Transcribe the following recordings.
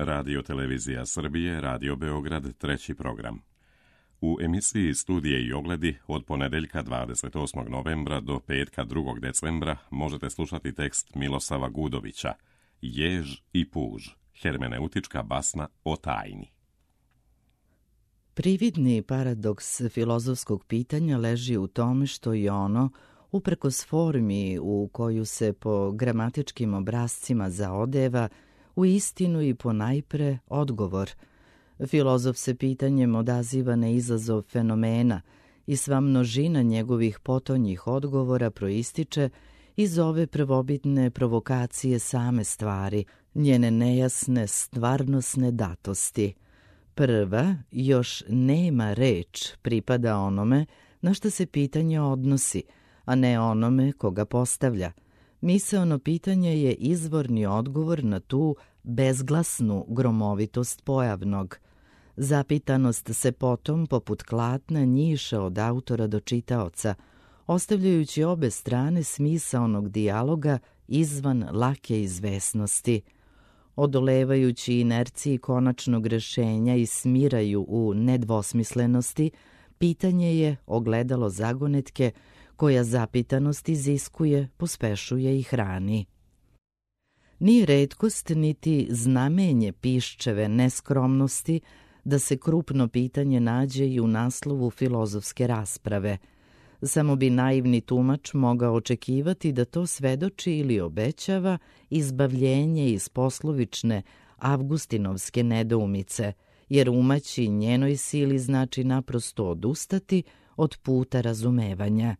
Radio Televizija Srbije, Radio Beograd, treći program. U emisiji Studije i ogledi od ponedeljka 28. novembra do petka 2. decembra možete slušati tekst Milosava Gudovića Jež i puž, hermeneutička basna o tajni. Prividni paradoks filozofskog pitanja leži u tome što je ono, uprkos formi u koju se po gramatičkim obrascima zaodeva, u istinu i ponajpre odgovor. Filozof se pitanjem odaziva na izazov fenomena i sva množina njegovih potonjih odgovora proističe iz ove prvobitne provokacije same stvari, njene nejasne stvarnosne datosti. Prva, još nema reč, pripada onome na što se pitanje odnosi, a ne onome koga postavlja. Misaono pitanje je izvorni odgovor na tu bezglasnu gromovitost pojavnog. Zapitanost se potom, poput klatna, njiša od autora do čitaoca, ostavljajući obe strane smisaonog dijaloga izvan lake izvesnosti. Odolevajući inerciji konačnog rešenja i smiraju u nedvosmislenosti, pitanje je ogledalo zagonetke koja zapitanost iziskuje, pospešuje i hrani. Nije retkost niti znamenje piščeve neskromnosti da se krupno pitanje nađe i u naslovu filozofske rasprave. Samo bi naivni tumač mogao očekivati da to svedoči ili obećava izbavljenje iz poslovične avgustinovske nedoumice, jer umaći njenoj sili znači naprosto odustati od puta razumevanja.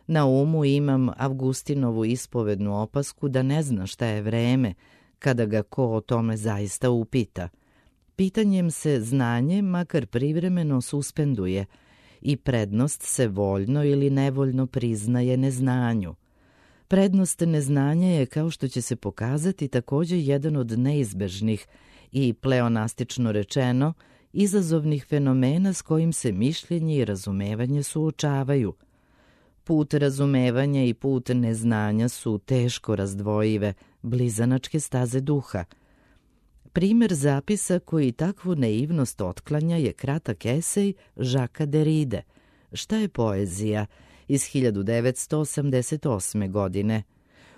Na umu imam Avgustinovu ispovednu opasku da ne zna šta je vreme kada ga ko o tome zaista upita. Pitanjem se znanje makar privremeno suspenduje i prednost se voljno ili nevoljno priznaje neznanju. Prednost neznanja je, kao što će se pokazati, također jedan od neizbežnih i, pleonastično rečeno, izazovnih fenomena s kojim se mišljenje i razumevanje suočavaju. Put razumevanja i put neznanja su teško razdvojive, blizanačke staze duha. Primer zapisa koji takvu naivnost otklanja je kratak esej Žaka Deride, Šta je poezija, iz 1988. godine.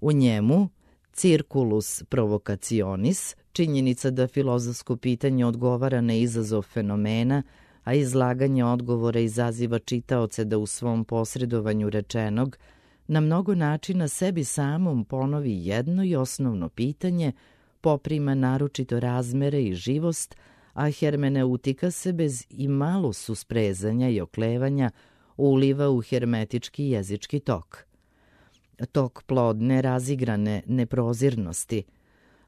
U njemu Circulus provocationis, činjenica da filozofsko pitanje odgovara na izazov fenomena, a izlaganje odgovora izaziva čitaoce da u svom posredovanju rečenog na mnogo načina sebi samom ponovi jedno i osnovno pitanje, poprima naročito razmere i živost, a hermeneutika se bez i malo susprezanja i oklevanja uliva u hermetički jezički tok. Tok plodne, razigrane neprozirnosti,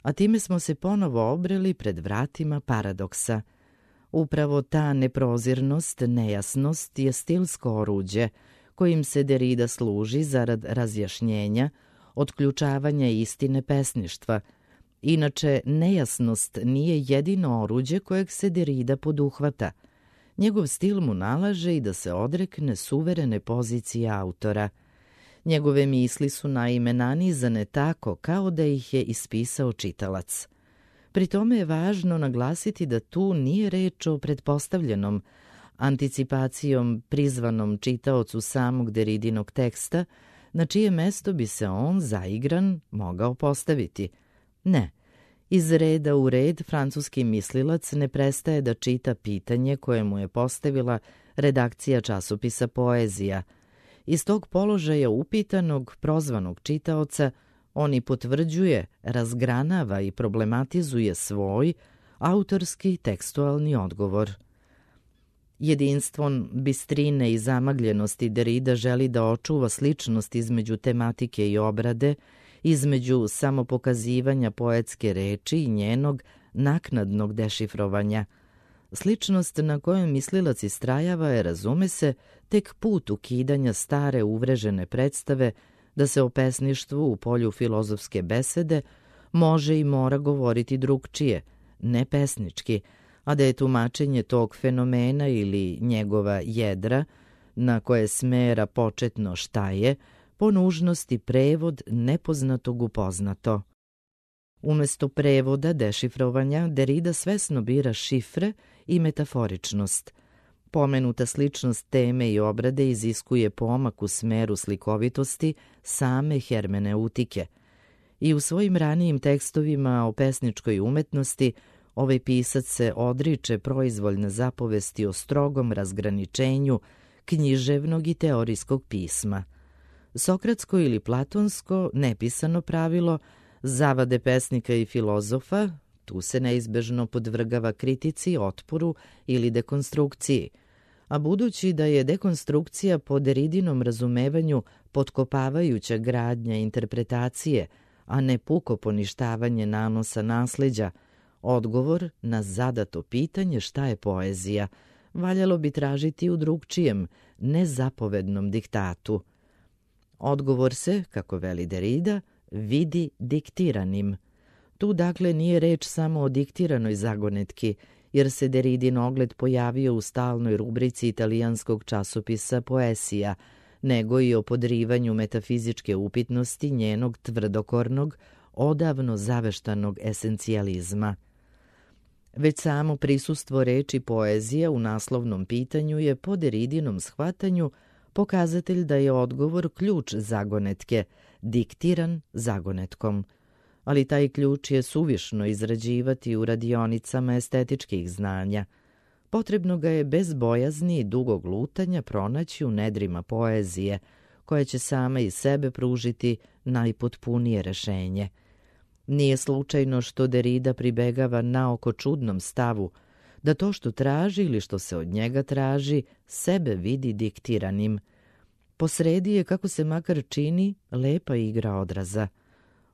a time smo se ponovo obreli pred vratima paradoksa. Upravo ta neprozirnost, nejasnost je stilsko oruđe kojim se Derida služi zarad razjašnjenja, otključavanja istine pesništva. Inače, nejasnost nije jedino oruđe kojeg se Derida poduhvata. Njegov stil mu nalaže i da se odrekne suverene pozicije autora. Njegove misli su naime nanizane tako kao da ih je ispisao čitalac. Pri tome je važno naglasiti da tu nije reč o pretpostavljenom, anticipacijom prizvanom čitaocu samog Deridinog teksta, na čije mesto bi se on, zaigran, mogao postaviti. Ne, iz reda u red francuski mislilac ne prestaje da čita pitanje koje mu je postavila redakcija časopisa Poezija. Iz tog položaja upitanog, prozvanog čitaoca, on i potvrđuje, razgranava i problematizuje svoj autorski tekstualni odgovor. Jedinstvom bistrine i zamagljenosti Derida želi da očuva sličnost između tematike i obrade, između samopokazivanja poetske reči i njenog naknadnog dešifrovanja. Sličnost na kojoj mislilac istrajava je, razume se, tek put ukidanja stare uvrežene predstave da se o pesništvu u polju filozofske besede može i mora govoriti drugčije, ne pesnički, a da je tumačenje tog fenomena ili njegova jedra, na koje smera početno šta je, po nužnosti prevod nepoznatog u poznato. Umesto prevoda, dešifrovanja, Derrida svesno bira šifre i metaforičnost. Pomenuta sličnost teme i obrade iziskuje pomak u smeru slikovitosti same hermeneutike. I u svojim ranijim tekstovima o pesničkoj umetnosti ovaj pisac se odriče proizvoljne zapovesti o strogom razgraničenju književnog i teorijskog pisma. Sokratsko ili platonsko, nepisano pravilo, zavade pesnika i filozofa, tu se neizbežno podvrgava kritici, otporu ili dekonstrukciji, a budući da je dekonstrukcija po Derridinom razumevanju potkopavajuća gradnja interpretacije, a ne puko poništavanje nanosa nasleđa, odgovor na zadato pitanje šta je poezija valjalo bi tražiti u drugčijem, nezapovednom diktatu. Odgovor se, kako veli Derrida, vidi diktiranim. Tu dakle nije reč samo o diktiranoj zagonetki, jer se Derridin ogled pojavio u stalnoj rubrici italijanskog časopisa Poesija, nego i o podrivanju metafizičke upitnosti njenog tvrdokornog, odavno zaveštanog esencijalizma. Već samo prisustvo reči poezija u naslovnom pitanju je po Derridinom shvatanju pokazatelj da je odgovor ključ zagonetke, diktiran zagonetkom. Ali taj ključ je suvišno izrađivati u radionicama estetičkih znanja. Potrebno ga je bez bojazni i dugog lutanja pronaći u nedrima poezije, koja će sama iz sebe pružiti najpotpunije rešenje. Nije slučajno što Derrida pribegava naoko čudnom stavu, da to što traži ili što se od njega traži, sebe vidi diktiranim. Posredi je, kako se makar čini, lepa igra odraza.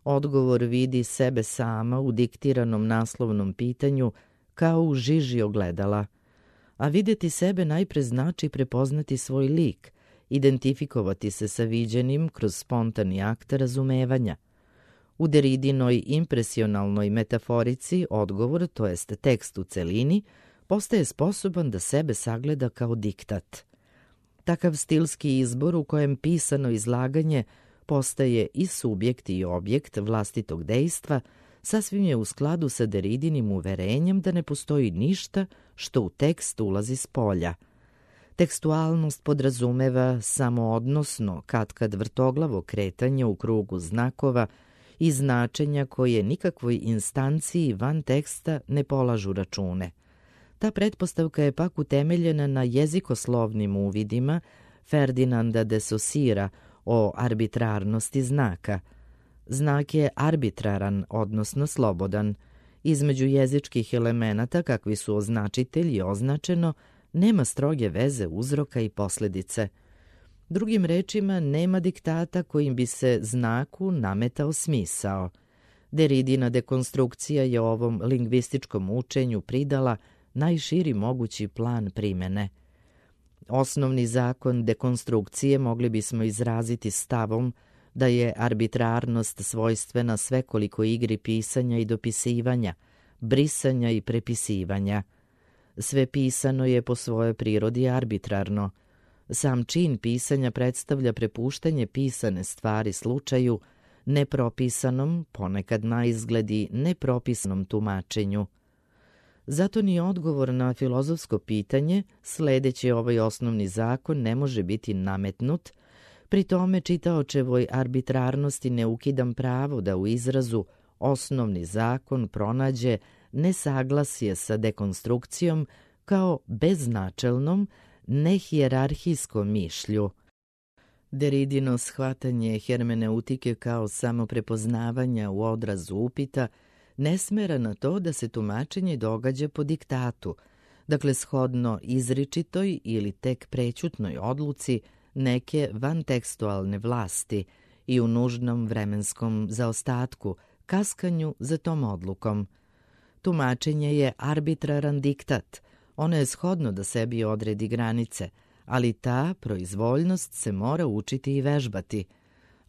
Odgovor vidi sebe sama u diktiranom naslovnom pitanju kao u žiži ogledala. A vidjeti sebe najpre znači prepoznati svoj lik, identifikovati se sa viđenim kroz spontani akt razumevanja. U Derridinoj impresionalnoj metaforici odgovor, to jest tekst u celini, postaje sposoban da sebe sagleda kao diktat. Takav stilski izbor u kojem pisano izlaganje postaje i subjekt i objekt vlastitog dejstva, sasvim je u skladu sa Derridinim uverenjem da ne postoji ništa što u tekst ulazi s polja. Tekstualnost podrazumeva samoodnosno, katkad vrtoglavo kretanje u krugu znakova i značenja koje nikakvoj instanciji van teksta ne polažu račune. Ta pretpostavka je pak utemeljena na jezikoslovnim uvidima Ferdinanda de Saussura o arbitrarnosti znaka. Znak je arbitraran, odnosno slobodan. Između jezičkih elemenata, kakvi su označitelj i označeno, nema stroge veze uzroka i posljedice. Drugim rečima, nema diktata kojim bi se znaku nametao smisao. Derridina dekonstrukcija je ovom lingvističkom učenju pridala najširi mogući plan primene. Osnovni zakon dekonstrukcije mogli bismo izraziti stavom da je arbitrarnost svojstvena svekoliko igri pisanja i dopisivanja, brisanja i prepisivanja. Sve pisano je po svojoj prirodi arbitrarno. Sam čin pisanja predstavlja prepuštanje pisane stvari slučaju, nepropisanom, ponekad na izgledi nepropisanom tumačenju. Zato ni odgovor na filozofsko pitanje, sledeći ovaj osnovni zakon, ne može biti nametnut, pri tome čitaočevoj arbitrarnosti ne ukidam pravo da u izrazu osnovni zakon pronađe nesaglasje sa dekonstrukcijom kao beznačelnom, nehijerarhijskom mišlju. Derridino shvatanje hermeneutike kao samoprepoznavanja u odrazu upita ne smera na to da se tumačenje događa po diktatu, dakle shodno izričitoj ili tek prećutnoj odluci neke vantekstualne vlasti i u nužnom vremenskom zaostatku, kaskanju za tom odlukom. Tumačenje je arbitraran diktat, ono je shodno da sebi odredi granice, ali ta proizvoljnost se mora učiti i vežbati.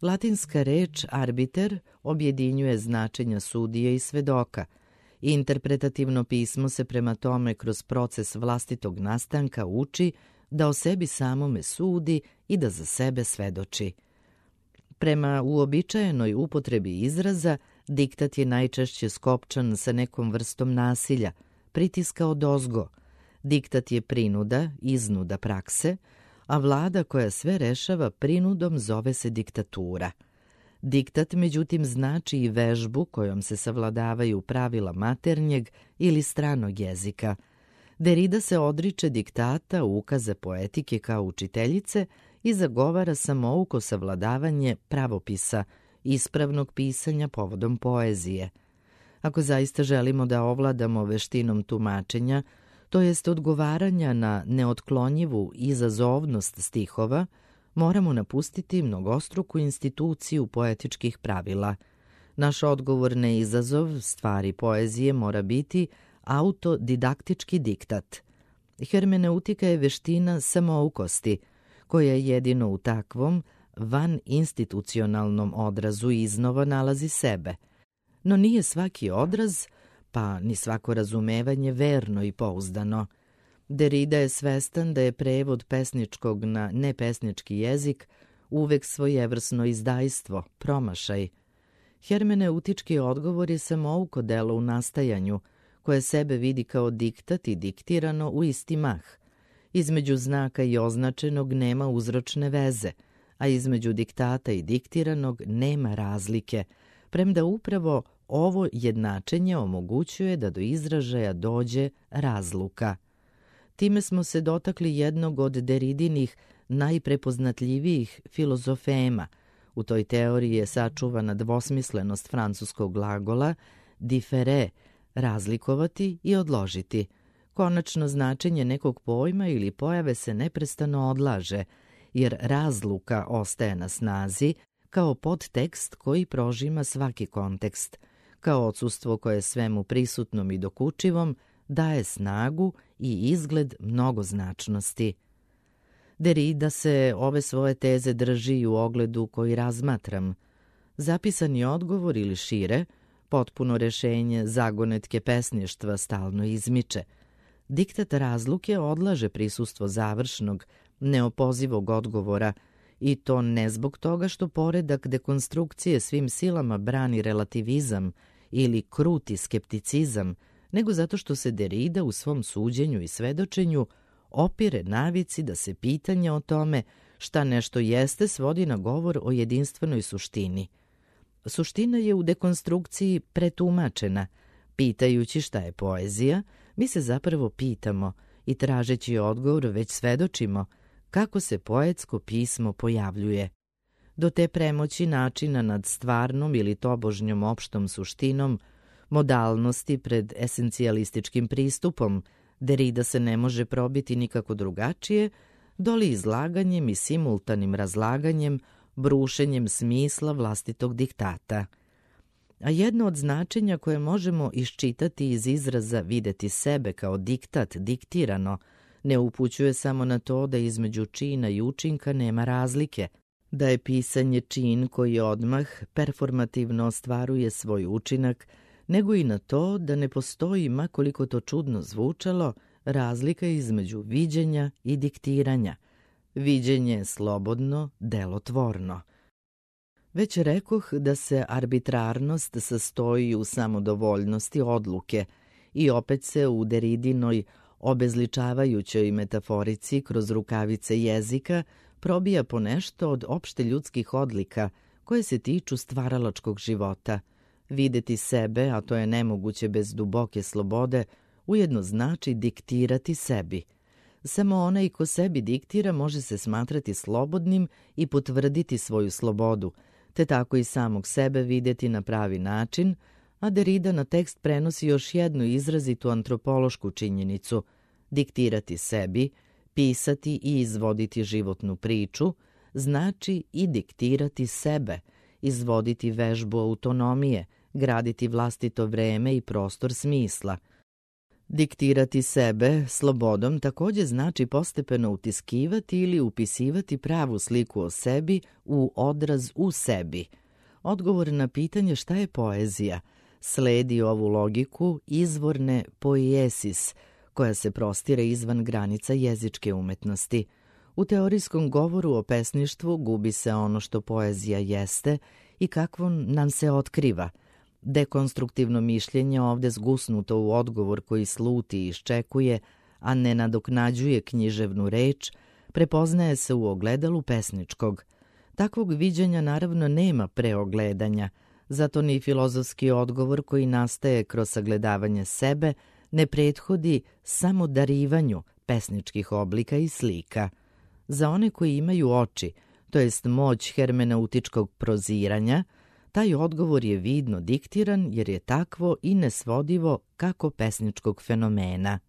Latinska reč arbiter objedinjuje značenja sudije i svedoka. Interpretativno pismo se prema tome kroz proces vlastitog nastanka uči da o sebi samome sudi i da za sebe svedoči. Prema uobičajenoj upotrebi izraza, Diktat je najčešće skopčan sa nekom vrstom nasilja, pritiska odozgo. Diktat je prinuda, iznuda prakse, a vlada koja sve rešava prinudom zove se diktatura. Diktat, međutim, znači i vežbu kojom se savladavaju pravila maternjeg ili stranog jezika. Derrida se odriče diktata, ukaza poetike kao učiteljice i zagovara samouko savladavanje pravopisa, ispravnog pisanja povodom poezije. Ako zaista želimo da ovladamo veštinom tumačenja, to jest odgovaranja na neotklonjivu izazovnost stihova, moramo napustiti mnogostruku instituciju poetičkih pravila. Naš odgovor na izazov stvari poezije mora biti autodidaktički diktat. Hermeneutika je veština samoukosti, koja jedino u takvom van institucionalnom odrazu iznova nalazi sebe. No nije svaki odraz, pa ni svako razumevanje verno i pouzdano. Derrida je svestan da je prevod pesničkog na nepesnički jezik uvek svojevrsno izdajstvo, promašaj. Hermeneutički odgovor je samouko delo u nastajanju, koje sebe vidi kao diktat i diktirano u isti mah. Između znaka i označenog nema uzročne veze, a između diktata i diktiranog nema razlike, premda upravo ovo jednačenje omogućuje da do izražaja dođe razluka. Time smo se dotakli jednog od Derridinih najprepoznatljivijih filozofema. U toj teoriji je sačuvana dvosmislenost francuskog glagola différer, razlikovati i odložiti. Konačno značenje nekog pojma ili pojave se neprestano odlaže, jer razluka ostaje na snazi kao podtekst koji prožima svaki kontekst, kao odsustvo koje svemu prisutnom i dokučivom daje snagu i izgled mnogoznačnosti. Derrida se ove svoje teze drži i u ogledu koji razmatram. Zapisani odgovor ili šire, potpuno rešenje zagonetke pesništva stalno izmiče. Diktat razluke odlaže prisustvo završnog, neopozivog odgovora, i to ne zbog toga što poredak dekonstrukcije svim silama brani relativizam ili kruti skepticizam, nego zato što se Derrida u svom suđenju i svedočenju opire navici da se pitanje o tome šta nešto jeste svodi na govor o jedinstvenoj suštini. Suština je u dekonstrukciji pretumačena. Pitajući šta je poezija, mi se zapravo pitamo i tražeći odgovor već svedočimo kako se poetsko pismo pojavljuje. Do te premoći načina nad stvarnom ili tobožnjom opštom suštinom, modalnosti pred esencijalističkim pristupom, Derrida se ne može probiti nikako drugačije, doli izlaganjem i simultanim razlaganjem, brušenjem smisla vlastitog diktata. A jedno od značenja koje možemo iščitati iz izraza videti sebe kao diktat, diktirano, ne upućuje samo na to da između čina i učinka nema razlike, da je pisanje čin koji odmah performativno ostvaruje svoj učinak, nego i na to da ne postoji, ma koliko to čudno zvučalo, razlika između viđenja i diktiranja. Viđenje je slobodno, delotvorno. Već rekoh da se arbitrarnost sastoji u samodovoljnosti odluke i opet se u Derridinoj obezličavajućoj metaforici kroz rukavice jezika probija ponešto od opšte ljudskih odlika koje se tiču stvaralačkog života. Videti sebe, a to je nemoguće bez duboke slobode, ujedno znači diktirati sebi. Samo onaj ko sebi diktira može se smatrati slobodnim i potvrditi svoju slobodu, te tako i samog sebe videti na pravi način, a Derrida na tekst prenosi još jednu izrazitu antropološku činjenicu. Diktirati sebi, pisati i izvoditi životnu priču, znači i diktirati sebe, izvoditi vežbu autonomije, graditi vlastito vreme i prostor smisla. Diktirati sebe slobodom takođe znači postepeno utiskivati ili upisivati pravu sliku o sebi u odraz u sebi. Odgovor na pitanje šta je poezija sledi ovu logiku izvorne poiesis, koja se prostire izvan granica jezičke umetnosti. U teorijskom govoru o pesništvu gubi se ono što poezija jeste i kakvo nam se otkriva. Dekonstruktivno mišljenje, ovde zgusnuto u odgovor koji sluti i iščekuje, a ne nadoknađuje književnu reč, prepoznaje se u ogledalu pesničkog. Takvog viđenja naravno nema preogledanja, zato ni filozofski odgovor koji nastaje kroz sagledavanje sebe ne prethodi samo darivanju pesničkih oblika i slika. Za one koji imaju oči, to jest moć hermeneutičkog proziranja, taj odgovor je vidno diktiran jer je takvo i nesvodivo kako pesničkog fenomena.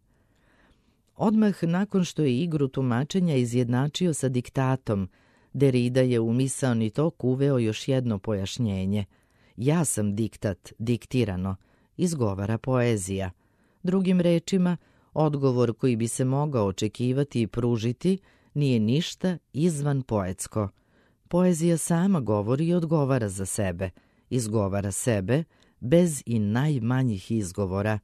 Odmah nakon što je igru tumačenja izjednačio sa diktatom, Derrida je u misaoni tok uveo još jedno pojašnjenje. Ja sam diktat, diktirano, izgovara poezija. Drugim rečima, odgovor koji bi se mogao očekivati i pružiti nije ništa izvan poetsko. Poezija sama govori i odgovara za sebe, izgovara sebe bez i najmanjih izgovora,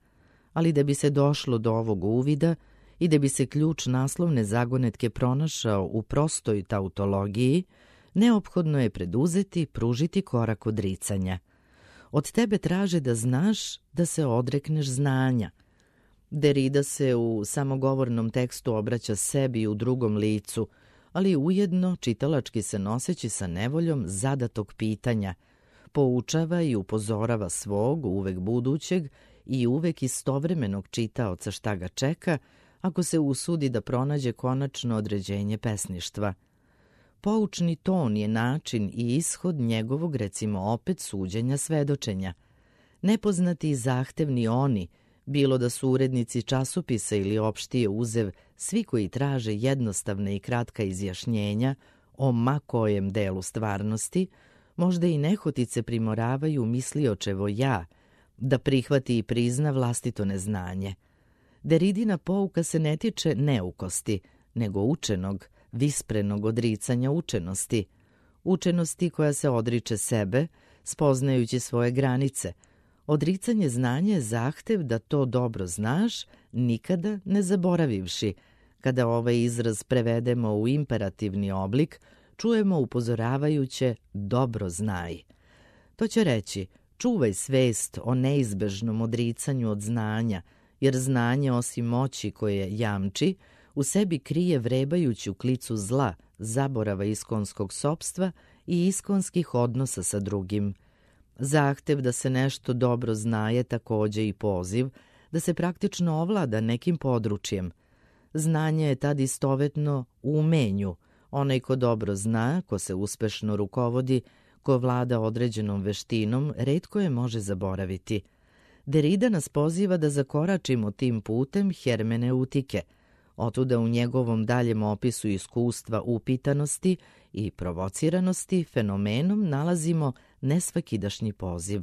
ali da bi se došlo do ovog uvida i da bi se ključ naslovne zagonetke pronašao u prostoj tautologiji, neophodno je preduzeti, pružiti korak odricanja. Od tebe traže da znaš da se odrekneš znanja. Derrida se u samogovornom tekstu obraća sebi u drugom licu, ali ujedno čitalački se noseći sa nevoljom zadatog pitanja, poučava i upozorava svog, uvek budućeg i uvek istovremenog čitaoca šta ga čeka, ako se usudi da pronađe konačno određenje pesništva. Poučni ton je način i ishod njegovog, recimo opet, suđenja svedočenja. Nepoznati i zahtevni oni, bilo da su urednici časopisa ili opštije uzev, svi koji traže jednostavne i kratka izjašnjenja o ma kojem delu stvarnosti, možda i nehotice primoravaju misliočevo ja, da prihvati i prizna vlastito neznanje. Derridina pouka se ne tiče neukosti, nego učenog, visprenog odricanja učenosti. Učenosti koja se odriče sebe, spoznajući svoje granice. Odricanje znanja je zahtev da to dobro znaš, nikada ne zaboravivši. Kada ovaj izraz prevedemo u imperativni oblik, čujemo upozoravajuće dobro znaj. To će reći, čuvaj svest o neizbežnom odricanju od znanja, jer znanje osim moći koje jamči, u sebi krije vrebajuću klicu zla, zaborava iskonskog sopstva i iskonskih odnosa sa drugim. Zahtev da se nešto dobro zna je takođe i poziv da se praktično ovlada nekim područjem. Znanje je tad istovetno u umenju. Onaj ko dobro zna, ko se uspešno rukovodi, ko vlada određenom veštinom, retko je može zaboraviti. Derrida nas poziva da zakoračimo tim putem hermeneutike, otuda u njegovom daljem opisu iskustva upitanosti i provociranosti fenomenom nalazimo nesvakidašnji poziv.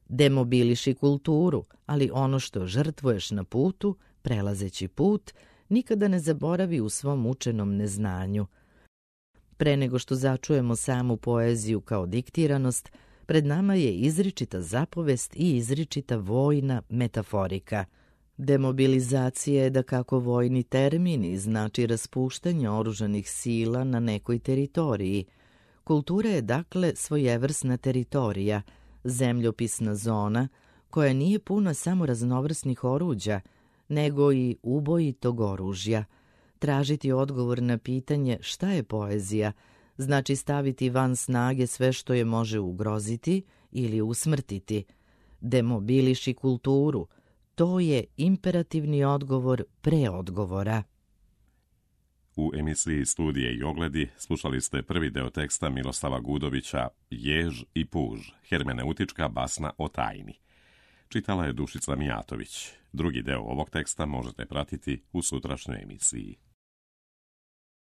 Demobiliši kulturu, ali ono što žrtvuješ na putu, prelazeći put, nikada ne zaboravi u svom učenom neznanju. Pre nego što začujemo samu poeziju kao diktiranost, pred nama je izričita zapovest i izričita vojna metaforika. Demobilizacija je da kako vojni termini znači raspuštanje oružanih sila na nekoj teritoriji. Kultura je dakle svojevrsna teritorija, zemljopisna zona koja nije puna samo raznovrsnih oruđa, nego i ubojitog oružja. Tražiti odgovor na pitanje šta je poezija, znači staviti van snage sve što je može ugroziti ili usmrtiti. Demobiliši kulturu, to je imperativni odgovor pre odgovora. U emisiji Studije i ogledi slušali ste prvi deo teksta Miroslava Gudovića Jež i puž, hermeneutička basna o tajni. Čitala je Dušica Mijatović. Drugi deo ovog teksta možete pratiti u sutrašnjoj emisiji.